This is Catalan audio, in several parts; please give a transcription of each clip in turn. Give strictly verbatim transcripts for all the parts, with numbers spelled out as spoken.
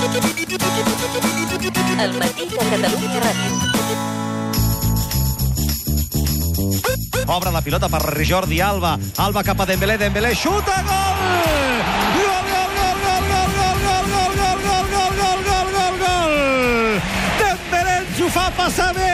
El matí de Catalunya Ràdio. Obre la pilota per Jordi Alba. Alba cap a Dembélé. Dembélé xuta, gol! Gol, gol, gol, gol, gol, gol, gol, gol, gol, gol, gol, gol, gol, gol, gol! Dembélé ens ho fa passar bé!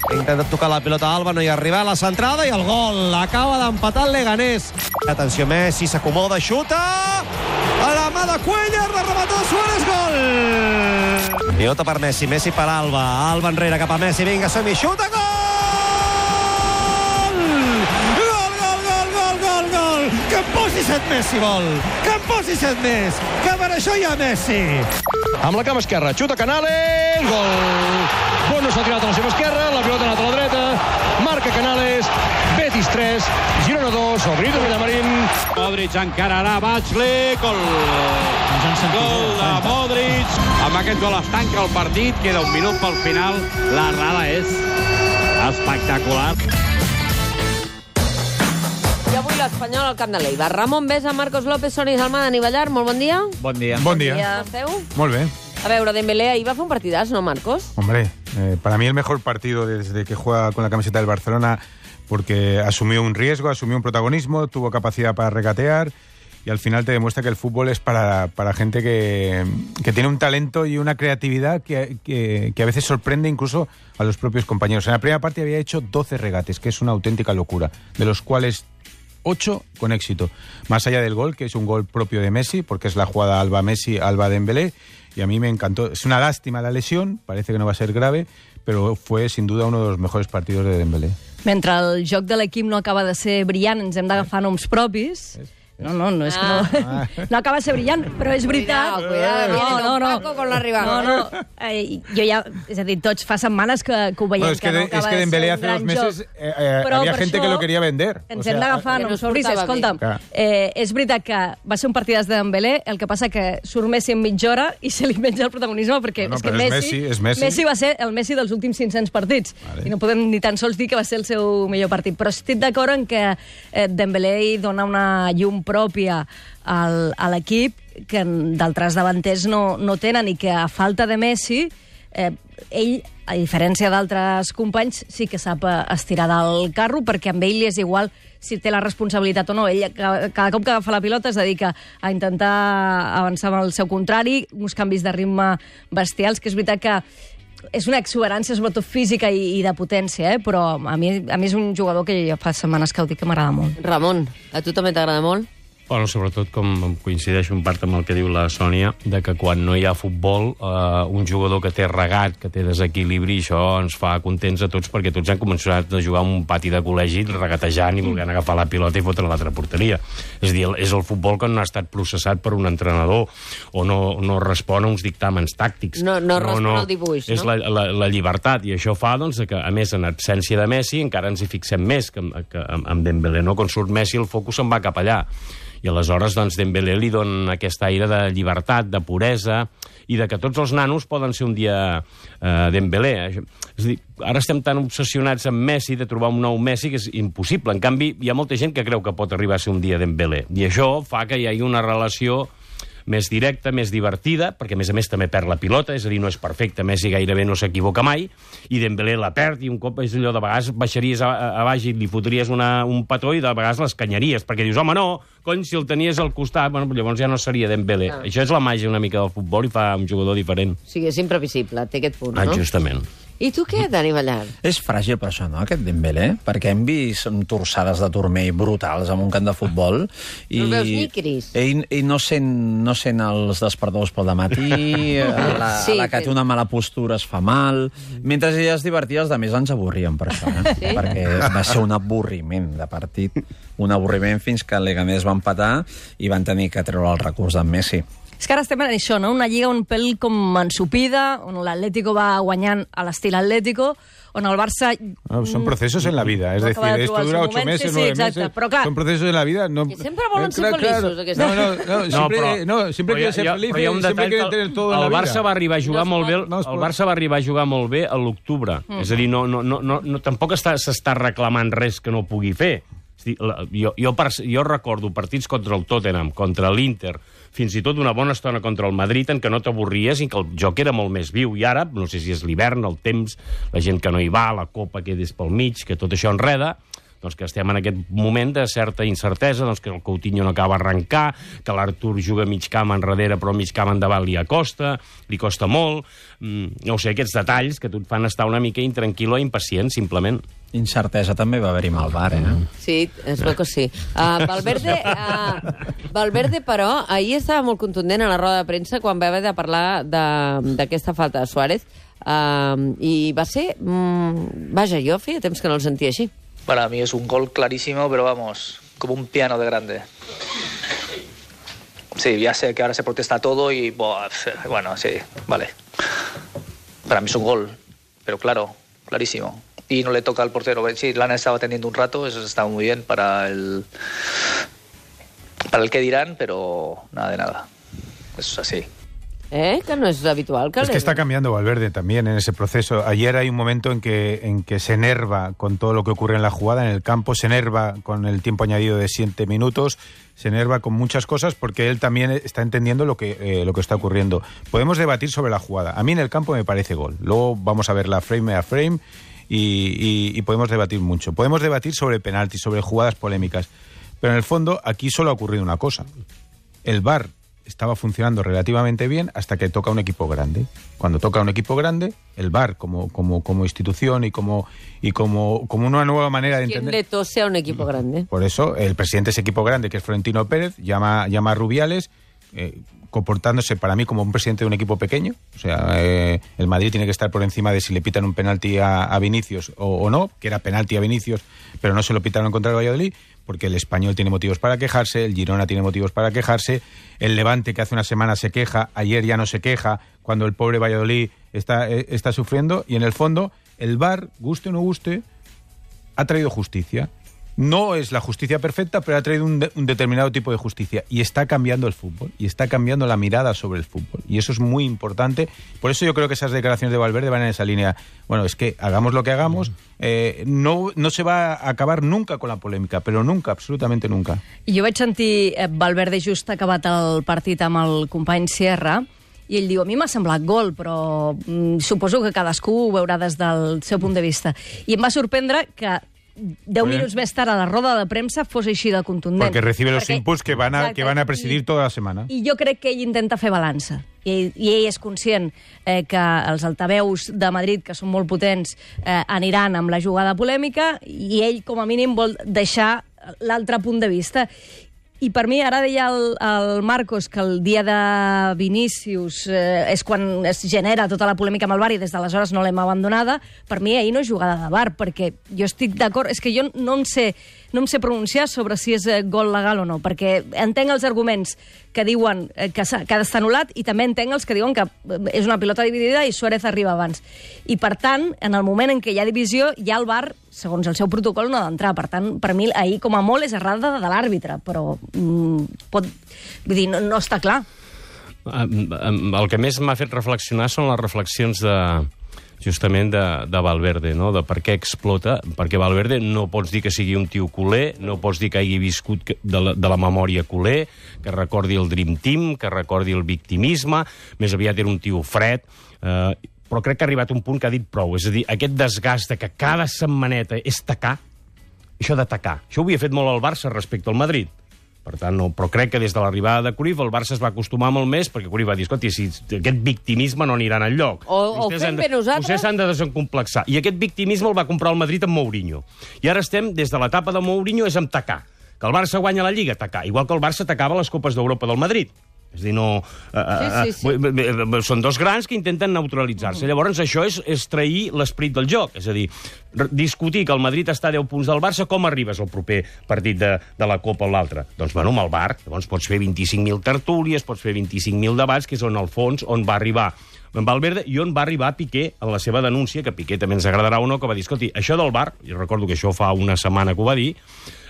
Ha intentat tocar la pilota a Alba, no hi ha arribat a la centrada i el gol. Acaba d'empatar el Leganés. Atenció, Messi s'acomoda, xuta! A la mà de Cuellar, la remató Suárez, gol! Pilota per Messi, Messi per Alba. Alba enrere cap a Messi, vinga, som-hi, xuta, gol! Gol, gol, gol, gol, gol, gol! Que em posi set Messi, vol! Que em posi set més! Que per això hi ha Messi! Amb la cama esquerra, xuta Canales, gol! Bono s'ha tirat a la seva esquerra, la pilota ha anat a la dreta, marca Canales, Betis tres, Girona dos, el Benito Villamarín. Modric encararà Batxli, gol! Gol de Modric. Amb aquest gol es tanca el partit, queda un minut pel final. La rada és espectacular. I avui l'Espanyol al camp de l'Eibar. Ramon Besa, Marcos López, Soni Salma, Dani Ballar, molt bon dia. Bon dia. Bon dia. Com esteu? Molt bé. A veure, Dembélé ahir va fer un partidàs, ¿no, Marcos? Hombre, eh, para mí el mejor partido desde que juega con la camiseta del Barcelona, porque asumió un riesgo, asumió un protagonismo, tuvo capacidad para regatear y al final te demuestra que el fútbol es para, para gente que, que tiene un talento y una creatividad que, que, que a veces sorprende incluso a los propios compañeros. En la primera parte había hecho doce regates, que es una auténtica locura, de los cuales ocho con éxito. Más allá del gol, que es un gol propio de Messi, porque es la jugada Alba-Messi, Alba-Dembélé, y a mí me encantó. Es una lástima la lesión, parece que no va a ser grave, pero fue sin duda uno de los mejores partidos de Dembélé. Mentre el joc de l'equip no acaba de ser brillant, ens hem d'agafar noms propis. No, no, no és que no... No acaba de ser brillant, però és veritat. Cuidado, cuidado, viene no, no, Don no. Paco con l'arribada. No, no. Eh, jo ja... És a dir, tots fa setmanes que, que ho veiem, Bueno, es que, que no de, acaba es que de Dembélé ser un hace gran dos meses joc. eh, eh, Però había per gente això que lo quería vender. Ens O sea, hem d'agafar que no noms propis. portava Escolta'm, bé. eh, és veritat que va ser un partidàs de Dembélé, el que passa que surt Messi en mitja hora i se li menja el protagonisme, perquè No, no, és que però és Messi, Messi, és Messi. Messi va ser el Messi dels últims cinc-cents partits. Vale. I no podem ni tan sols dir que va ser el seu millor partit. Però estic d'acord en que eh, Dembélé hi dona una llum pròpia al, a l'equip que d'altres davanters no, no tenen i que a falta de Messi eh, ell, a diferència d'altres companys, sí que sap estirar del carro, perquè amb ell li és igual si té la responsabilitat o no. Ell cada, cada cop que agafa la pilota es dedica a intentar avançar amb el seu contrari, uns canvis de ritme bestials, que és veritat que és una exuberància, sobretot física i, i de potència, eh? Però a mi, a mi és un jugador que ja fa setmanes que ho dic que m'agrada molt. Ramon, a tu també t'agrada molt? Bueno, sobretot, com coincideixo en part amb el que diu la Sònia, de que quan no hi ha futbol, eh, un jugador que té regat, que té desequilibri, això ens fa contents a tots, perquè tots han començat a jugar un pati de col·legi regatejant i volent agafar la pilota i fotre a l'altra porteria. És a dir, és el futbol que no ha estat processat per un entrenador o no, no respon a uns dictàmens tàctics. No, no respon al dibuix, és no? la, la, la llibertat, i això fa doncs, que, a més, en absència de Messi, encara ens hi fixem més, que, que amb Dembélé, no? Quan surt Messi, el focus se'n va cap allà. I aleshores, doncs, Dembélé li dona aquest aire de llibertat, de puresa, i de que tots els nanos poden ser un dia eh, Dembélé. És a dir, ara estem tan obsessionats amb Messi, de trobar un nou Messi, que és impossible. En canvi, hi ha molta gent que creu que pot arribar a ser un dia Dembélé. I això fa que hi hagi una relació més directa, més divertida, perquè a més a més també perd la pilota, és a dir, no és perfecte, Messi gairebé no s'equivoca mai, i Dembélé la perd, i un cop és allò de vegades baixaries a, a baix i li fotries una, un petó i de vegades les canyaries, perquè dius, home, no, cony, si el tenies al costat, bueno, llavors ja no seria Dembélé. Ah. Això és la màgia una mica del futbol i fa un jugador diferent. O sigui, és imprevisible, té aquest punt, Ah, no? justament. I tu què, Dani Ballar? És fràgil per això, no, aquest Dembélé? Perquè hem vist torçades de turmell brutals en un camp de futbol. I No el veus ni, Cris? Ell, ell no, sent, no sent els despertadors pel dematí, a la, Sí, a la que que- té una mala postura es fa mal. Mentre ella es divertia, els altres ens avorrien per això, eh? Sí? Perquè va ser un avorriment de partit. Un avorriment fins que el Leganés va empatar i van tenir que treure el recurs d'en Messi. És que ara estem en això, no? Una lliga un pèl com ensupida, on l'Atlético va guanyant a l'estil Atlético, on el Barça... No, son procesos en la vida, es no decir, acaba de esto trobar el dura seu ocho moment, meses, sí, sí, nueve exacte. meses, Però clar, son procesos en la vida. No, Que sempre volen eh, ser clar, feliços, claro. aquesta No, no, no, siempre, però- no, siempre però quieren hi ser ha- felices, però hi ha un siempre detall quieren que tener todo en la el vida. Barça va arribar a jugar No es molt bé, pot. No es el pot. Barça va arribar a jugar molt bé a l'octubre. Mm. És a dir, no, no, no, no, no, tampoc està- s'està reclamant res que no pugui fer. És a dir, la, jo, jo, per, jo recordo partits contra el Tottenham, contra l'Inter, fins i tot una bona estona contra el Madrid en què no t'avorries i que el joc era molt més viu. I ara, no sé si és l'hivern, el temps, la gent que no hi va, la copa que és pel mig, que tot això enreda, doncs que estem en aquest moment de certa incertesa, doncs que el Coutinho no acaba d'arrencar, que l'Artur juga mig camp enrere però mig camp endavant li acosta, li costa molt, mm, no ho sé, aquests detalls que tu et fan estar una mica intranquil·lo i impacient, simplement. Incertesa també va haver-hi amb el V A R, eh? Sí, es veu que sí. Uh, Valverde, uh, Valverde, però, ahir estava molt contundent a la roda de premsa quan va haver de parlar d'aquesta falta de Suárez, uh, i va ser... Mm, vaja, jo feia temps que no el sentia així. Para mí es un gol clarísimo, pero vamos, como un piano de grande. Sí, ya sé que ahora se protesta todo y, bueno, sí, vale. Para mí es un gol, pero claro, clarísimo. Y no le toca al portero. Sí, Lana estaba teniendo un rato, eso está muy bien para el, para el que dirán, pero nada de nada. Eso es así. ¿Eh? Que no es habitual. Que es que está cambiando Valverde también en ese proceso. Ayer hay un momento en que, en que se enerva con todo lo que ocurre en la jugada, en el campo, se enerva con el tiempo añadido de siete minutos, se enerva con muchas cosas porque él también está entendiendo lo que, eh, lo que está ocurriendo. Podemos debatir sobre la jugada. A mí en el campo me parece gol. Luego vamos a verla frame a frame y, y, y podemos debatir mucho. Podemos debatir sobre penaltis, sobre jugadas polémicas. Pero en el fondo aquí solo ha ocurrido una cosa. El V A R estaba funcionando relativamente bien hasta que toca un equipo grande. Cuando toca un equipo grande, el V A R como, como, como institución y como y como, como una nueva manera de entender... ¿Quién le tose a un equipo grande? Por eso, el presidente de ese equipo grande, que es Florentino Pérez, llama, llama a Rubiales, eh, comportándose para mí como un presidente de un equipo pequeño. O sea, eh, el Madrid tiene que estar por encima de si le pitan un penalti a, a Vinicius o, o no, que era penalti a Vinicius, pero no se lo pitaron contra el Valladolid, porque el Español tiene motivos para quejarse, el Girona tiene motivos para quejarse, el Levante, que hace una semana se queja, ayer ya no se queja, cuando el pobre Valladolid está, eh, está sufriendo, y en el fondo el V A R, guste o no guste, ha traído justicia. No es la justicia perfecta, pero ha traído un, de, un determinado tipo de justicia. Y está cambiando el fútbol. Y está cambiando la mirada sobre el fútbol. Y eso es muy importante. Por eso yo creo que esas declaraciones de Valverde van en esa línea. Bueno, es que hagamos lo que hagamos. Eh, no, no se va a acabar nunca con la polèmica, però nunca, absolutamente nunca. Jo vaig sentir eh, Valverde just acabat el partit amb el company Sierra, i ell diu, a mi m'ha semblat gol, però mm, suposo que cadascú ho veurà des del seu punt de vista. I em va sorprendre que deu minuts més tard a la roda de premsa fos així de contundent. Porque recibe los Perquè, inputs que van, a, exacte, que van a presidir I, tota la setmana. I jo crec que ell intenta fer balança. I, i ell és conscient eh, que els altaveus de Madrid, que són molt potents, eh, aniran amb la jugada polèmica, i ell, com a mínim, vol deixar l'altre punt de vista. I per mi, ara deia el, el Marcos que el dia de Vinícius eh, és quan es genera tota la polèmica amb el V A R i des d'aleshores no l'hem abandonada. Per mi ahir no és jugada de V A R, perquè jo estic d'acord... És que jo no em sé, no em sé pronunciar sobre si és gol legal o no, perquè entenc els arguments que diuen que, que ha d'estar anul·lat i també entenc els que diuen que és una pilota dividida i Suárez arriba abans. I, per tant, en el moment en què hi ha divisió, ja el V A R, segons el seu protocol, no ha d'entrar. Per tant, per mi, ahir, com a molt, és errada de l'àrbitre, però mm, pot... Vull dir, no, no està clar. El que més m'ha fet reflexionar són les reflexions de justament de, de Valverde, no? De per què explota, perquè Valverde no pots dir que sigui un tio culer, no pots dir que hagi viscut de la, de la memòria culer, que recordi el Dream Team, que recordi el victimisme, més aviat era un tio fred, eh, però crec que ha arribat un punt que ha dit prou, és a dir, aquest desgast de que cada setmaneta és tacar, això de tacar, això ho havia fet molt el Barça respecte al Madrid. Per tant, no, però crec que des de l'arribada de Cruyff el Barça es va acostumar molt més, perquè Cruyff va dir, escolti, si aquest victimisme no anirà enlloc. O, o fem bé nosaltres. Vostès s'han de desencomplexar. I aquest victimisme el va comprar el Madrid amb Mourinho. I ara estem, des de l'etapa de Mourinho, és amb tacar. Que el Barça guanya la Lliga, tacar. Igual que el Barça tacava les Copes d'Europa del Madrid. És a dir, no... Sí, sí, sí. Són dos grans que intenten neutralitzar-se. Mm. Llavors, això és, és trair l'esperit del joc. És a dir, discutir que el Madrid està a deu punts del Barça, com arribes al proper partit de, de la Copa o l'altre? Doncs, bueno, amb el V A R. Llavors pots fer vint-i-cinc mil tertúlies, pots fer vint-i-cinc mil debats, que és on, al fons, on va arribar en Valverde i on va arribar Piqué en la seva denúncia, que Piqué també ens agradarà o no, que va dir, escolti, això del V A R, i recordo que això fa una setmana que ho va dir,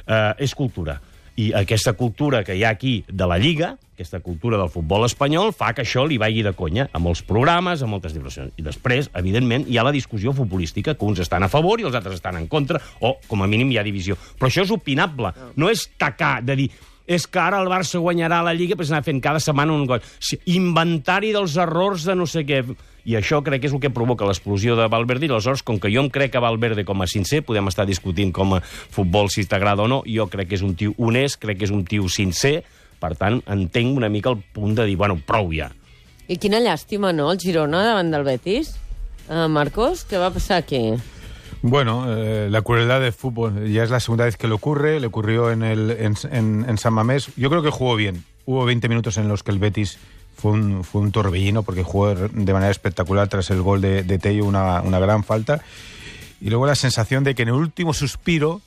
eh, és cultura. I aquesta cultura que hi ha aquí de la Lliga, aquesta cultura del futbol espanyol, fa que això li vagi de conya a molts programes, a moltes diversions. I després, evidentment, hi ha la discussió futbolística, que uns estan a favor i els altres estan en contra, o, com a mínim, hi ha divisió. Però això és opinable, no és tacar, de dir... és que ara el Barça guanyarà la Lliga, però s'anà fent cada setmana un gol. Inventari dels errors de no sé què. I això crec que és el que provoca l'explosió de Valverde, i aleshores, com que jo em crec que Valverde com a sincer, podem estar discutint com a futbol si t'agrada o no, jo crec que és un tio honest, crec que és un tio sincer, per tant, entenc una mica el punt de dir, bueno, prou ja. I quina llàstima, no?, el Girona davant del Betis. Uh, Marcos, ¿qué va a pasar aquí? Bueno, eh, la crueldad del fútbol. Ya es la segunda vez que le ocurre. Le ocurrió en, el, en, en, en San Mamés. Yo creo que jugó bien. Hubo veinte minutos en los que el Betis fue un, fue un torbellino, porque jugó de manera espectacular tras el gol de, de Tello, una, una gran falta. Y luego la sensación de que en el último suspiro,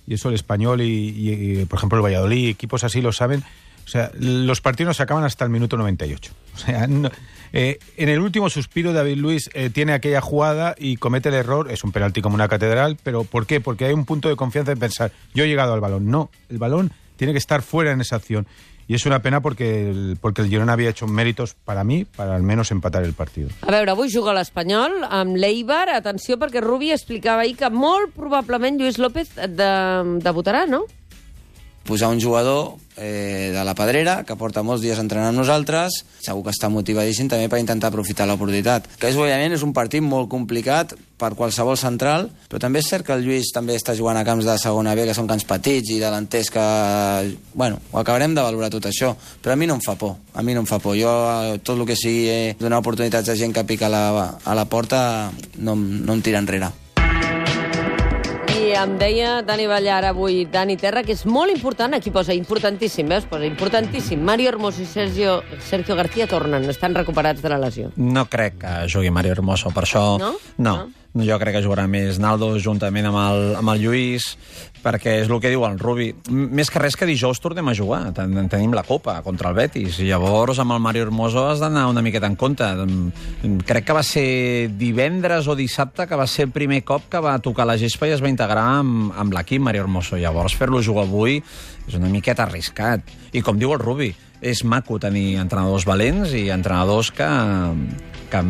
y eso el Español y, y, y por ejemplo, el Valladolid, equipos así lo saben, o sea, los partidos no se acaban hasta el minuto noventa y ocho. O sea, no, eh, en el último suspiro David Luiz eh, tiene aquella jugada y comete el error. Es un penalti como una catedral, pero ¿por qué? Porque hay un punto de confianza en pensar, yo he llegado al balón. No, el balón tiene que estar fuera en esa acción. Y es una pena porque el, porque el Girona havia hecho méritos, para mi, para al menos empatar el partido. A veure, avui juga l'Espanyol amb l'Eibar. Atenció, perquè Rubi explicava ahir que molt probablement Lluís López de, debutarà, no? Posar un jugador eh, de la Pedrera, que porta molts dies entrenant amb nosaltres, segur que està motivadíssim també per intentar aprofitar l'oportunitat. Que és, òbviament, és un partit molt complicat per qualsevol central, però també és cert que el Lluís també està jugant a camps de segona B, que són camps petits i delanters que... Bueno, ho acabarem de valorar tot això, però a mi no em fa por, a mi no em fa por. Jo, tot el que sigui eh, donar oportunitats a gent que pica a la, a la porta, no, no em tira enrere. I em deia Dani Ballar avui, Dani Terra, que és molt important, aquí posa importantíssim, veus? Posa importantíssim. Mario Hermoso i Sergio, Sergio García tornen, estan recuperats de la lesió. No crec que jugui Mario Hermoso, per això... No? No. no. Jo crec que jugarà més Naldo juntament amb el, amb el Lluís, perquè és el que diu el Rubi. Més que res que dijous tornem a jugar. Ten, tenim la Copa contra el Betis. I llavors amb el Mario Hermoso has d'anar una miqueta en compte. Crec que va ser divendres o dissabte que va ser el primer cop que va tocar la gespa i es va integrar amb, amb l'equip Mario Hermoso. Llavors fer-lo jugar avui és una miqueta arriscat. I com diu el Rubi, és maco tenir entrenadors valents i entrenadors que... que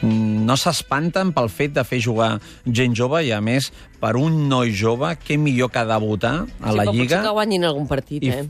no s'espanten pel fet de fer jugar gent jove i, a més, per un noi jove, què millor que debutar a la sí, Lliga... Sí, potser que guanyin algun partit, I... eh?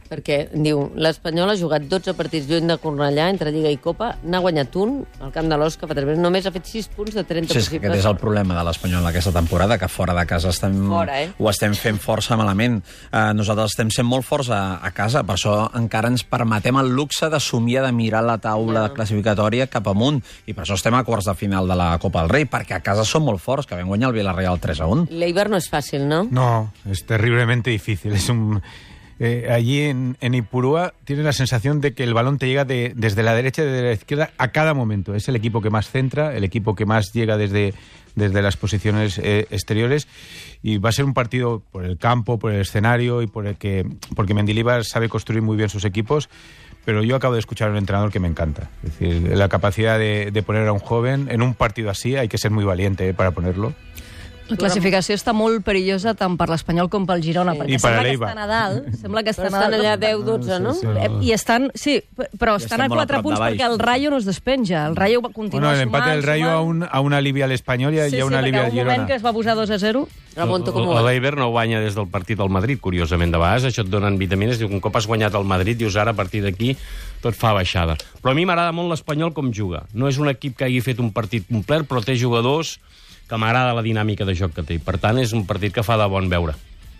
Perquè, diu, l'Espanyol ha jugat dotze partits lluny de Cornellà, entre Lliga i Copa, n'ha guanyat un, al camp de l'Osca, només ha fet sis punts de trenta sí, possibles. Aquest és el problema de l'Espanyol aquesta temporada, que fora de casa estem, fora, eh? ho estem fent força malament. Uh, nosaltres estem sent molt forts a, a casa, per això encara ens permetem el luxe de somiar de mirar la taula no. classificatòria cap amunt, i per això estem a quarts de final de la Copa del Rei, perquè a casa som molt forts, que vam guanyar el Villarreal tres a un. L'Eibar no és fàcil, no? No, es terriblemente difícil, es un... Eh, allí en, en Ipurúa tienes la sensación de que el balón te llega de, desde la derecha y desde la izquierda a cada momento. Es el equipo que más centra, el equipo que más llega desde, desde las posiciones eh, exteriores, y va a ser un partido por el campo, por el escenario y por el que, porque Mendilibar sabe construir muy bien sus equipos. Pero yo acabo de escuchar a un entrenador que me encanta. Es decir, la capacidad de, de poner a un joven en un partido así, hay que ser muy valiente eh, para ponerlo. La classificació està molt perillosa tant per l'Espanyol com pel Girona, Sí. perquè I per sembla que l'Eibar. estan a dalt. Sembla que Però estan, estan a allà dalt. deu dotze, no? Sí, Eh, I estan, sí, però I estan estem a molt a quatre prop punts de baix. perquè el Rayo no es despenja. El Rayo va continuar Bueno, el sumant, empate del Rayo sumant. aún, aún alivia al Español y, Sí, y aún sí, alivia perquè al un moment Girona. que es va posar dos a zero. Remonto com ho L'Eibar no guanya des del partit del Madrid, curiosament. De vegades això et donen vitamines. Diu que un cop has guanyat el Madrid, dius ara a partir d'aquí tot fa baixada. Però a mi m'agrada molt l'Espanyol com juga. No és un equip que hagi fet un partit complet, però té jugadors que m'agrada la dinàmica de joc que té. Per tant, és un partit que fa de bon veure.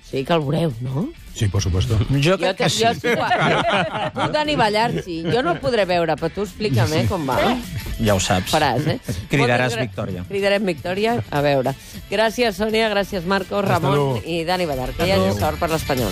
Sí, que el veureu, no? Sí, por supuesto. Jo Jo, crec te, que sí. jo sí. Tu, Dani Ballar, sí. Jo no el podré veure, però tu explica'm, eh, com va. Ja ho saps. Faràs, eh? Cridaràs Moltes gra- victòria. Cridarem victòria. A veure. Gràcies, Sònia, gràcies, Marcos, Ramon luego. i Dani Ballar. Que hi hagi sort per l'Espanyol.